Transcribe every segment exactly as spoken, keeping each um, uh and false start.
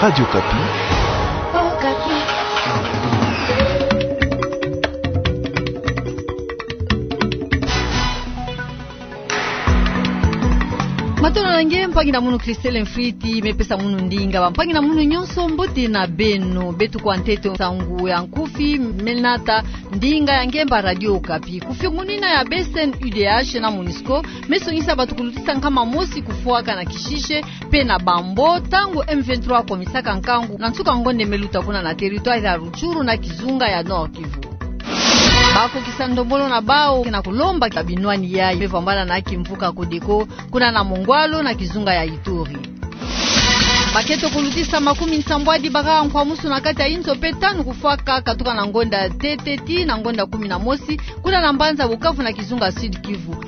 Radio Okapi. Matondo na nge, mpangi na munu Christelle Mfriti, me pesa munu ndinga. Bampangi na munu nyonso, mbote na beno. Beto kwa ntete nsangu ya nkufi, me nata ndinga ya ngemba Radio Okapi. Kufiongonina ya B C N U D H na MONUSCO, me songisa bato kulutisa nkama mosi kufwaka na Kishishe pe na Bambo, ntangu M vingt-trois akomisaka nkangu na nsuka ngonde me luta kuna na territoire ya Rutshuru na kizunga ya Nord-Kivu. Bakokisa ndombolo na bawu na kulomba ka binwani yayi me vwambana na kimvuka Codeco, kuna na Mongwalu na kizunga ya Ituri. Baketo kulutisa makumi nsambwadi bakaka nkwamusu na kati ya inzo pe tanu kufwaka katuka na ngonda ntete tii na ngonda kumi na mosi, kuna na mbanza Bukavu na kizunga Sud-Kivu.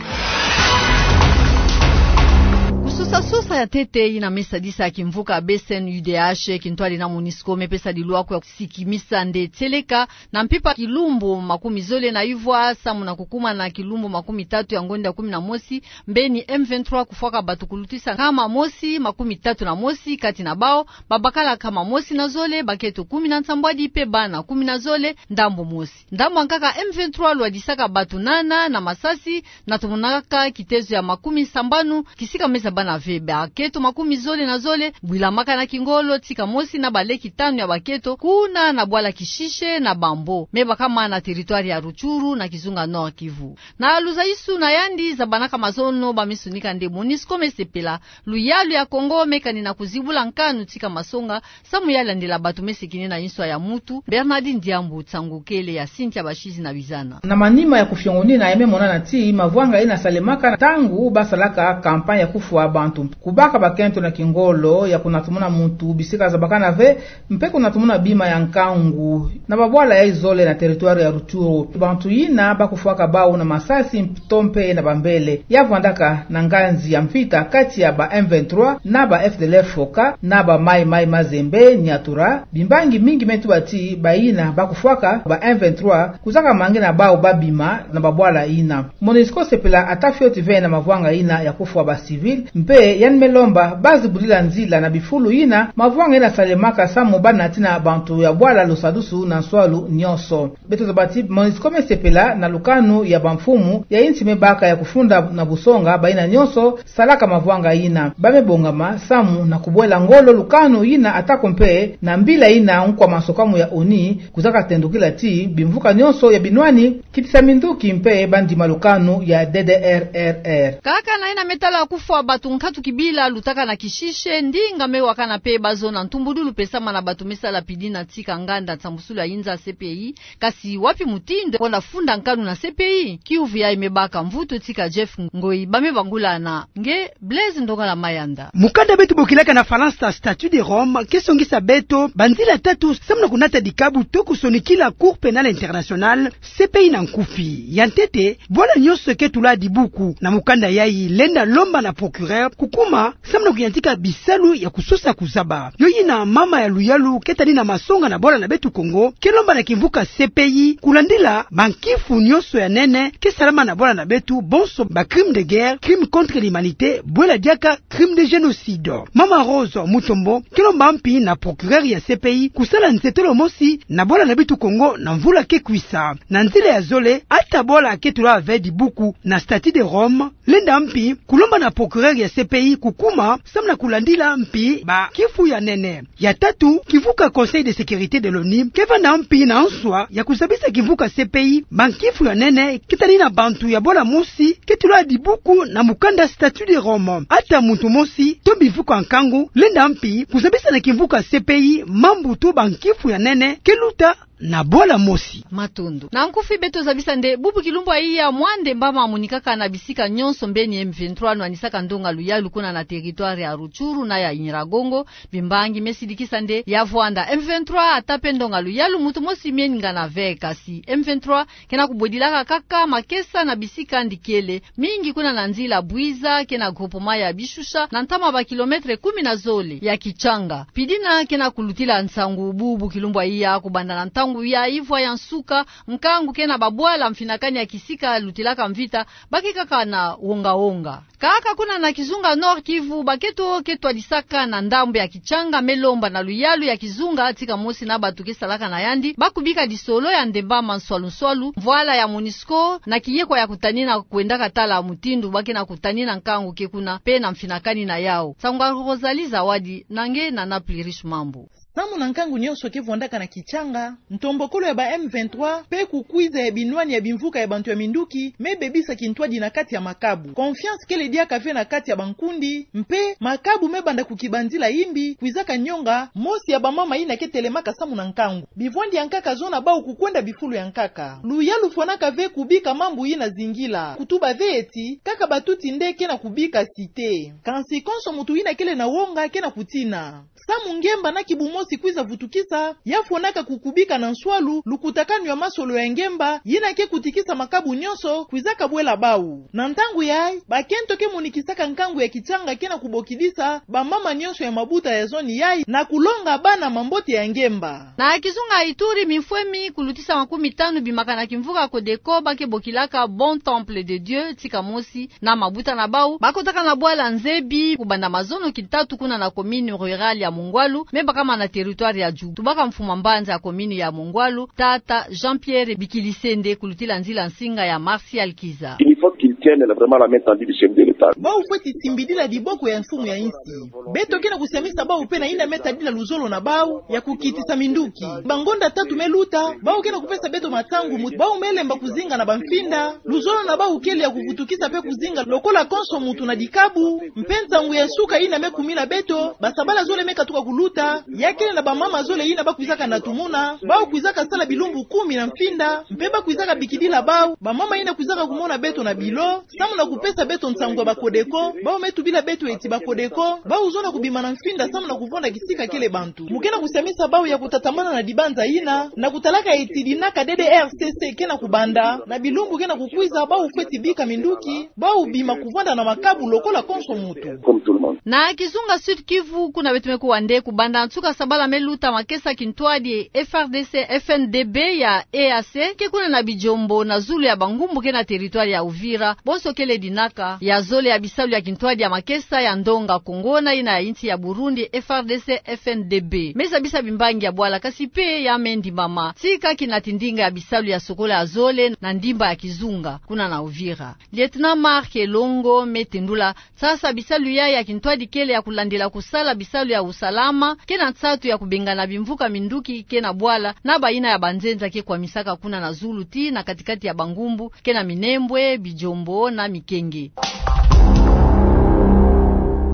Kusosa-sosa ya ntete yina me sadisa kimvuka B C N U D H, kintwari na MONUSCO, me pesa lilwaku ya kusikimisa nde tieleka na mpimpa kilumbu makumi zole na ivwa, samu na kukuma na kilumbu makumi tatu ya ngonda kumi na mosi, mbeni M vingt-trois kufwaka bato kulutisa nkama mosi makumi tatu na mosi, kati na bawu babakala nkama mosi na zole, baketo kumi na nsambwadi pe bana kumi na zole, ndambu mosi. Ndambu ya nkaka M vingt-trois lwadisaka bato nana na masasi, na tomonaka kitezo ya makumi sambanu, kisika me zabana ve. Baketo makumi zole na zole bwilamaka na kingolo, tika mosi na baleki tanu ya baketo, kuna na bwala Kishishe na Bambo, me bakama na territoire ya Rutshuru na kizunga Nord-Kivu. Na luzaisu na yandi zabanaka mazono, ba me sonika nde MONUSCO me sepela luyalu ya Congo me kani na kuzibula nkanu tika masonga, samu ya landila bato me sekene na inswa ya mutu. Bernardine Diambu, nsangu kele ya Cynthia Bashizi na Bizana. Na manima ya kufiongonina ya me monana ti mavwanga yina salemaka ntangu basalaka campagne ya kufwa bantu, kubaka bakento na kingolo ya kunatomona mutu bisika zabakana ve, mpe kunatomona bima ya nkangu na babwala yayi zole na territoire ya Rutshuru. Bantu yina bakufwaka bawu na masasi to mpe na bambele. Ya vwandaka na nganzi ya mvita kati ya ba M vingt-trois na ba F D L F Foka na ba Mai Mai Mazembe Nyatura. Bimbangi mingi me tuba ti bayina bakufwaka ba M vingt-trois kuzaka mangi na bawu babima na babwala yina. MONUSCO sepela ata fioti ve na mavwanga yina ya kufwa ba civil, mpe yandi me lomba bazibudila nzila na bifulu yina mavwanga yina salemaka samu banatina bantu ya bwala lusadusu na nswalu nyonso. Beto zaba ti MONUSCO me sepela na lukanu ya bamfumu ya insi me baka ya kufunda na busonga bayina nyonso salaka mavwanga yina. Ba me bongama samu na kubwela ngolo lukanu yina, atako mpe na mbila yina nkwa masokamu ya ONU kuzaka tendukila ti bimvuka nyonso ya binwani, kitisa minduki mpe bandima lukanu ya D D R R R. Kaka na yina me tala kufwa bato, nkatu kibila lutaka na Kishishe, ndinga me wakana mpe bazo na ntumbudulu pesama na bato me sala pidina tika nganda nsambusulu ya inza C P I. Kasi wapi mutindu ko na funda nkanu na C P I? Kiuvu yayi me baka mvutu tika Jeff Ngoi, ba me bangula na nge Blaise Ndongala Mayanda. Mukanda beto bokilaka na Falansa Statut de Rome ke songisa beto banzila tatu samu na kunata dikabu to kusonikila Cour Pénale Internationale, C P I na nkufi. Ya ntete, bwala nyonso ke tula dibuku na mukanda yayi lenda lomba na procureur kukuma samu na kuyantika bisalu ya kusosa kuzaba. Yo yina mama ya luyalu ke tani na masonga na bwala na beto Kongo ke lomba na kimvuka C P I kulandila bankifu nyonso ya nene ke salama na bwala na beto, bonso ba crime de guerre, crime contre l'humanité, bwela diaka crime de génocide. Mama Rose Mutombo ke lomba mpi na procureur ya C P I kusala nzietolo mosi na bwala na beto Kongo na mvula ke kwisa. Na nzila ya zole, ata bwala ke tula ve dibuku na Statut de Rome, lenda mpi kulomba na procureur ya C P I kukuma samu na kulandila mpi bankifu ya nene. Ya tatu, kimvuka Conseil de Sécurité de l'ONU ke vanda mpi na nswa ya kuzabisa kimvuka C P I bankifu ya nene ke tani na bantu ya bwala mosi ke tula dibuku na mukanda Statut de Rome. Ata muntu mosi to bimvuka nkangu lenda mpi kuzabisa na kimvuka C P I mambu to bankifu ya nene ke luta na bwala mosi. Matondo. Na nkufi beto zabisa nde bubu kilumbu yayi ya mwande mbama monikaka na bisika nyonso mbeni M vingt-trois nwanisaka ndonga luyalu kuna na territoire ya Rutshuru na ya Nyiragongo. Bimbangi me sidikisa nde ya vwanda M vingt-trois ata mpe ndonga luyalu muntu mosi me ngana ve, kasi M vingt-trois ke na kubwedilaka kaka makesa na bisika ndikele mingi kuna na nzila Bwiza ke na groupement ya Bishusha, na ntama ba kilomètre kumi na zole ya Kitshanga. Pidina ke na kulutila nsangu bubu kilumbu yayi kubanda na ntangu Ntangu ya ivwa ya nsuka, nkangu ke na babwala mfinakani ya kisika lutilaka mvita, ba ke kaka na wonga-wonga. Kaka kuna na kizunga Nord-Kivu, bakento ke twadisaka na ndambu ya Kitshanga me lomba na luyalu ya kizunga tika mosi na bantu ke salaka na yandi, ba kubika lisolo ya ndembama nswalu-nswalu, mvwala ya MONUSCO, na kiyekwa ya kutanina kwendaka tala mutindu ba ke na kutanina nkangu ke kuna, pe na mfinakani na yau. Nsangu ya Rosalie Zawadi, na nge Nana Plurish Mambu. Samu na nkangu nyonso ke vwandaka na Kitshanga, ntombokolo ya ba M vingt-trois, pe kukwiza ya binwani ya bimvuka ya bantu ya minduki, me bebisa kintwadi na kati ya makabu. Confiance kele diaka ve na kati ya bankundi, mpe makabu me banda kukibanzila imbi, kwizaka nyonga, mosi ya bamama yina ke telemaka samu na nkangu. Bivwandi ya nkaka zona bau kukwenda bifulu ya nkaka. Luyalu fwanaka ve kubika mambu yina zingila. Kutuba ve ti, kaka batuti nde ke na kubika site. Kansi konso muntu yina kele na wonga ke na kutina. Samu ngemba na kibu mosi kwiza vutukisa, ya fwanaka kukubika na nswalu, lukutakanu ya masolo ya ngemba, yina ke kutikisa makabu nyonso, kwizaka bwela bau. Na ntangu yayi, bakento ke monikisaka nkangu ya Kitshanga ke na kubokidisa, bamama nyonso ya mabuta ya zone yayi, na kulonga bana mambote ya ngemba. Na kizunga Ituri, mifwemi kulutisa makumi tanu bimaka na kimvuka Codeco, ba ke bokilaka Bon Temple de Dieu, tika mosi na mabuta na bau, bakotaka na bwala nzebi, kubanda mazono kitatu kuna na commune rurale ya Mongwalu, me bakama na territoire ya Djugu. Tubaka mfuma mbanza ya commune ya Mongwalu, tata Jean-Pierre Bikilisende, kulutila nzila nsinga ya Martial Kiza. Il faut qu'ils tiennent vraiment la main tendue du chef de l'État. Bau fweti simbidila diboko ya mfumu ya insi. Beto ke na kusiamisa bau pe na yina me tadila luzolo na bau ya kukitisa minduki. Bangonda tatu me luta, bau ke na kupesa beto matangu mu ti bau me lemba kuzinga na bamfinda. Luzolo na bau kele ya kuvutukisa pe kuzinga lokola konso muntu na dikabu. Mpe ntangu ya nsuka yina me kumina beto, basabala zole me katuka kuluta, ya kele na bamama zole yina ba kwizaka na tumuna, bau kwizaka sala bilumbu kumi na mfinda, mpe ba kwizaka bikidila bau, bamama yina kwizaka kumona beto na bilo, samu na kupesa beto nsangu ya ba Codeco, bau me tubila beto ti ba Codeco, bau zona kubima na mfinda samu na kuvwanda kisika kele bantu. Mu ke na kusiamisa bau ya kutatamana na dibanza yina, na kutalaka ti dinaka D D R C C ke na kubanda, na bilumbu ke na kukwiza bau fweti bika minduki, bau bima kuvwanda na makabu lokola konso muntu. Comme tout le monde. Na kizunga Sud-Kivu, kuna beto me kuwa nde kubanda nsuka sabala me luta makesa kintwadi F R D C F N D B ya E A C, ke kuna na Bijombo na zulu ya bangumbu ke na territoire ya Uvira, bonso kele dinaka ya zole ya bisalu ya kintwadi ya makesa ya ndonga Kongo na yina ya insi ya Burundi, F R D C F N D B. Me zabisa bimbangi ya bwala kasi pe ya me ndimama. Tika kina ti ndinga ya bisalu ya sokola ya zole na ndimba ya kizunga, kuna na Uvira. Lieutenant Marc Elongo me tendula, sasa bisalu yayi ya kintwadi kele ya kulandila kusala bisalu ya usalama, ke na nsatu ya kubengana bimvuka minduki ke na bwala, na bayina ya banzenza ke kwamisaka kuna na zulu ti na kati-kati ya bangumbu, ke na Minembwe, Bijombo na Mikenge.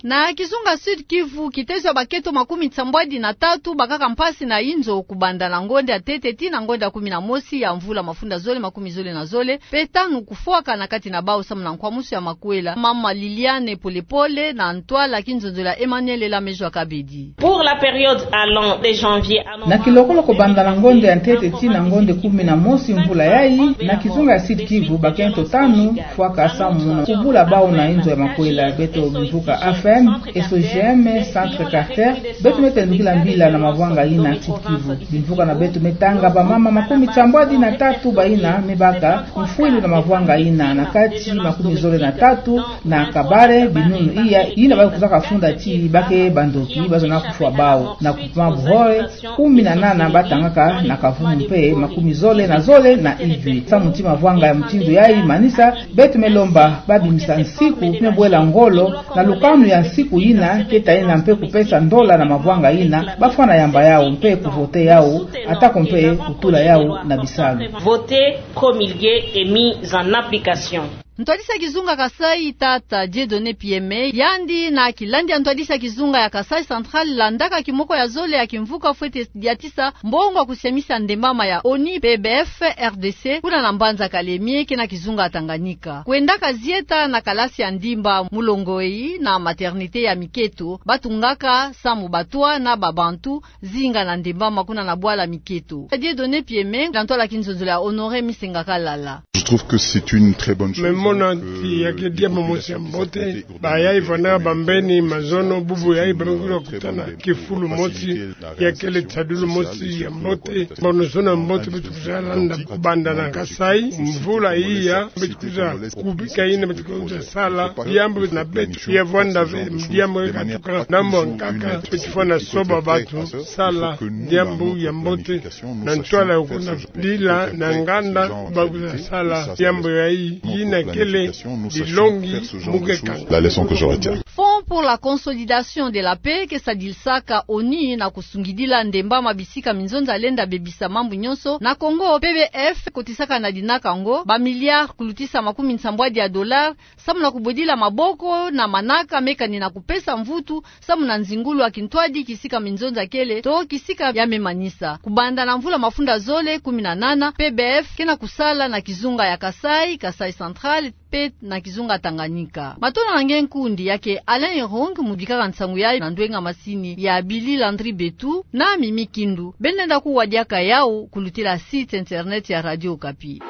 Na kizunga Sud-Kivu, kitezo ya bakento makumi nsambwadi na tatu bakaka mpasi na inzo kubanda na ngonda ya ntete ti na ngonda ya kumi na mosi ya mvula mafunda zole makumi zole na zole, pe tanu kufwaka na kati na bau samu na nkwamusu ya makwela. Mama Liliane Polepole na ntwala kinzonzolo ya Emmanuel Lamejwa Kabedi. Pour la période allant de janvier à novembre. Na kilokolo kobanda na ngonda ya ntete ti na ngonda kumi na mosi mvula yayi, na kizunga ya Sud-Kivu, bakento tanu fwaka samu na kubula bau na inzo ya makwela. Beto bimvuka A F M, S O G M, Centre Carter, beto me tendukila mbila na mavwanga yina Sud-Kivu. Bimvuka na beto me tanga bamama makumi nsambwadi na tatu bayina me baka mfwilu na mavwanga yina, na kati makumi zole na tatu na Kabare, binunu iya yina ba kwizaka funda ti ba ke bandoki, ba zona kufwa bau. Na groupement Buhore, kumi na nana batangaka na kavumu mpe makumi zole na zole na ijwi. Samu ti mavwanga ya mutindu yayi manisa, beto me lomba ba bimisa nsiku me bwela ngolo na lukanu ya nsiku yina, ke ta yina mpe kupesa ndola na mavwanga yina, ba fwana yamba yau mpe kuvote yau, atako mpe kutula yau na bisalu. Voter, promulguer et mise en application. Ntwadisi ya kizunga Kasai, tata Dieudonné Pieme, yandi na kilandi ya ntwadisi ya kizunga ya Kasai Central, landaka kimoko ya zole ya kimvuka fwete diatisa mbongo ya kusiamisa ndembama ya ONI pe B F R D C, kuna na mbanza Kalemie, ke na kizunga ya Tanganyika. Kwendaka zieta na kalasi ya ndimba mulongo eyi na maternité ya miketo, batungaka samu batwa na babantu zinga na ndembama kuna na bwala miketo. Dieudonné Pieme, na ntwala kinzonzolo ya Honoré Misenga Kalala. Je trouve que c'est une très bonne chose. Mona ti yakele diambu mosi ya mbote. Bayayi fwanaka bambeni mazono, bubu yayi bambeni kutana kifulu mosi, yakele tisadulu mosi ya mbote. Mbaonosono ya mbote beto kwiza landa kubanda na Kasaï. Mvula iya beto kwiza kubika yina beto kwiza sala. Diambu na beto ya vwanda ve, diambu katuka na mbo nkaka, beto fwana soba bato sala diambu ya mbote na ntwala ya kukundila na nganda, bakwiza sala diambu yayi, yina kele dilongi mu ke kanga. La leçon que je retiens. Fonds pour la consolidation de la paix ke sadilisaka ONU na kusungidila ndemba ma bisika minzonza lenda bebisa mambu nyonso na Congo, P B F, kotisaka na dinaka yango ba milliards kulutisa makumi nsambwadi ya dollars, samu na kubwedila maboko na manaka me kani na kupesa mvutu samu na nzingulu ya kintwadi kisika minzonza kele to kisika ya me manisa. Kubanda na mvula mafunda zole kumi na nana, P B F ke na kusala na kizunga ya Kasaï, Kasaï Central, pe na kizunga Tanganyika. Matondo na nge nkundi, ya ke Alain Erong mu bikaka nsangu yayi na ndwenga masini ya Billy Landry Betu na Mimi Kindu. Beno lenda kuwa diaka yawu kulutila site internet ya Radio Okapi.